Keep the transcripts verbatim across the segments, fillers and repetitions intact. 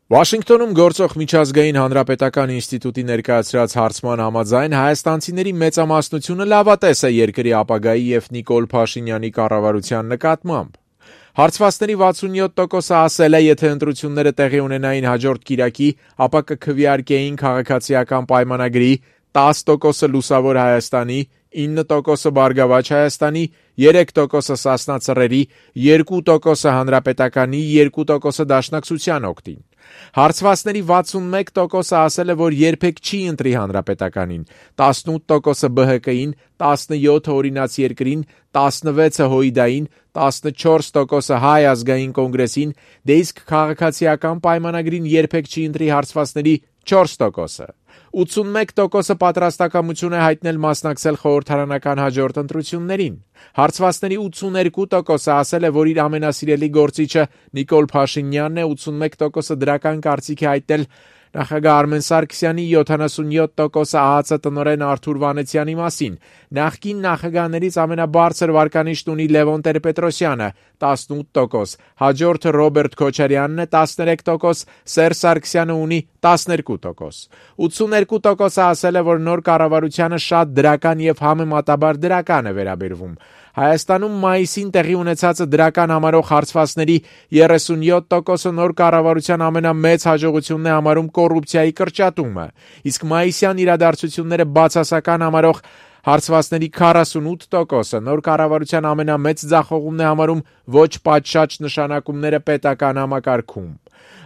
Վաշինգտոնում գործող միջազգային հանրապետական ինստիտուտի ներկայացրած հարցման համաձայն հայաստանցիների մեծամասնությունը լավատես է երկրի ապագայի և Նիկոլ Փաշինյանի կառավարության նկատմամբ։ Հարցվածների վաթսունյոթ տոկոսը ասել է, եթե ընտրությունները տեղի ունենային հաջորդ կիրակի, ապա կքվեարկեին քաղաքացիական պայմանագրի, տասը տոկոսը լուսավոր Հայաստանի, ինը տոկոսը Բարգավաճ Հայաստանի, երեք տոկոսը Սասնա Ծռերի, երկու տոկոսը Հանրապետականի, երկու տոկոսը Դաշնակցության օգտին։ Հարցվածների վաթսունմեկ տոկոսը ասել է, որ երբեք չի ընտրի Հանրապետականին, տասնութ տոկոսը Բը Հը Կային, տասնյոթը Օրինաց երկրին, տասնվեցը Հույդային, տասնչորս տոկոսը Հայ ազգային կոնգրեսին, դե իսկ քաղաքացիական պայմանագրին երբեք չի ընտրի հարցվածների չորս տոկոսը։ ութսունմեկ տոկոսը պատրաստակամություն է հայտնել մասնակցել խորհրդարանական հաջորդ ընտրություններին։ Հարցվածների ութսուներկու տոկոսը ասել է, որ իր ամենասիրելի գործիչը Նիկոլ Փաշինյանն է, ութսունմեկ տոկոսը դրական կարծիք է հայտնել նախագահ Արմեն Սարգսյանի, յոթանասունյոթ տոկոսը ԱԱԾ տնօրեն Արթուր Վանեցյանի մասին, նախկին նախագահներից ամենաբարձր վարկանիշն ունի Լևոն Տեր-Պետրոսյանը, տասնութ տոկոս, հաջորդը Ռոբերտ Քոչարյանն է, տասներեք տոկոս, Սերժ Սարգսյանը ունի տասներկու տոկոս։ ութսուներկու տոկոսը ասել է, որ նոր կառավարությանը շատ դրական և համեմատաբար դրական է վերաբերվում։ Հայաստանում մայիսին տեղի ունեցածը դրական համարող հարցվածների երեսունյոթ տոկոսը նոր կառավարության ամենամեծ հաջողությունն է համարում կոռուպցիայի կրճատումը, իսկ մայիսյան իրադարձությունները բացասական համարող հարցվածների քառասունութ տոկոսը նոր կառավարության ամենամեծ ձախողումն է համարում ոչ պատշաճ նշանակումները պետական համակարգում։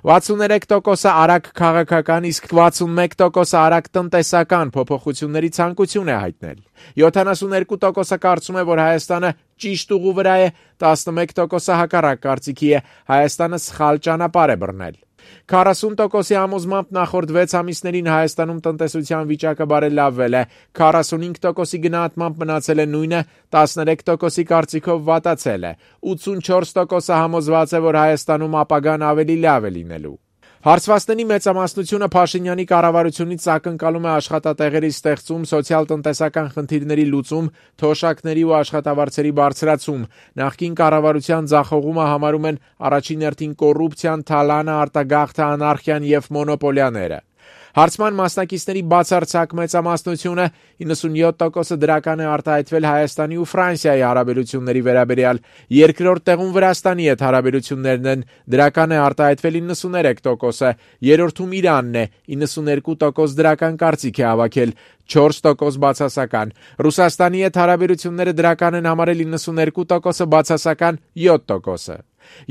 վաթսուներեք տոկոսը արագ քաղաքական, իսկ վաթսունմեկ տոկոսը արագ տնտեսական փոփոխությունների ցանկություն է հայտնել։ յոթանասուներկու տոկոսը կարծում է, որ Հայաստանը ճիշտ ուղու վրա է, տասնմեկ տոկոսը հակառակ կարծիքի է, Հայաստանը սխալ ճանապարհ է բռնել։ քառասուն տոկոսի համոզմամբ նախորդ վեց ամիսներին Հայաստանում տնտեսության վիճակը բարելավվել է, քառասունհինգ տոկոսի գնահատմամբ մնացել է նույնը, տասներեք տոկոսի կարծիքով վատացել է, ութսունչորս տոկոսը համոզված է, որ Հայաստանում ապագան ավելի լավ է լինելու։ Հարցվածների մեծամասնությունը Փաշինյանի կառավարությունից ակնկալում է աշխատատեղերի ստեղծում, սոցիալ-տնտեսական խնդիրների լուծում, թոշակների ու աշխատավարձերի բարձրացում։ Նախկին կառավարության ձախողումը համարում են առաջին հերթին կոռուպցիան, թալանը, արտագաղթը, անարխիան և մոնոպոլիաները։ Հարցման մասնակիցների բացարձակ մեծամասնությունը իննսունյոթ տոկոսը դրական է արտահայտվել Հայաստանի ու Ֆրանսիայի հարաբերությունների վերաբերյալ, երկրորդ տեղում Վրաստանի հետ հարաբերություններն են, դրական է արտահայտվել իննսուներեք տոկոսը, երրորդում Իրանն է, իննսուներկու տոկոս դրական կարծիք է հավաքել, չորս տոկոս բացասական, Ռուսաստանի հետ հարաբերությունները դրական են համարել իննսուներկու տոկոսը, բացասական յոթ տոկոսը։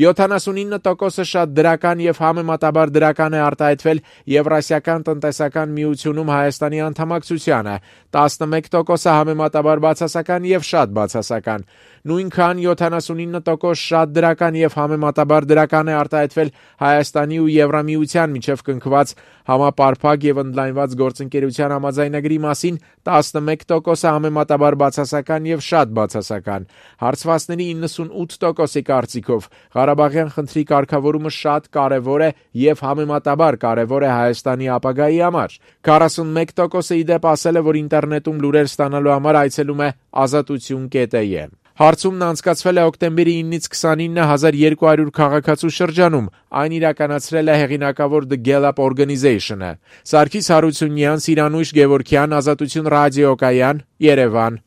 յոթանասունինը տոկոսը շատ դրական և համեմատաբար դրական է արտահայտվել Եվրասիական տնտեսական միությունում Հայաստանի անդամակցությանը, տասնմեկ տոկոսը համեմատաբար բացասական և շատ բացասական, նույնքան յոթանասունինը տոկոս շատ դրական և համեմատաբար դրական է արտահայտվել Հայաստանի ու Եվրամիության միջև կնքված համապարփակ և ընդլայնված գործընկերության համաձայնագրի մասին, տասնմեկ տոկոսը համեմատաբար բացասական և շատ բացասական։ Հարցվածների իննսունութ տոկոսի կարծիքով Ղարաբաղյան խնդրի կարգավորումը շատ կարևոր է և համեմատաբար կարևոր է Հայաստանի ապագայի համար։ քառասունմեկ տոկոսը ի դեպ ասել է, որ ինտերնետում լուրեր ստանալու համար այցելում է ազատություն կետ է ե։ Հարցումն անցկացվել է օկտեմբերի իննից քսանինը հազար երկու հարյուր քաղաքացու շրջանում, այն իրականացրել է հեղինակավոր The Gallup Organization-ը։ Սարգիս Հարությունյան, Սիրանույշ Գևորգյան, Ազատություն ռադիոկայան, Երևան։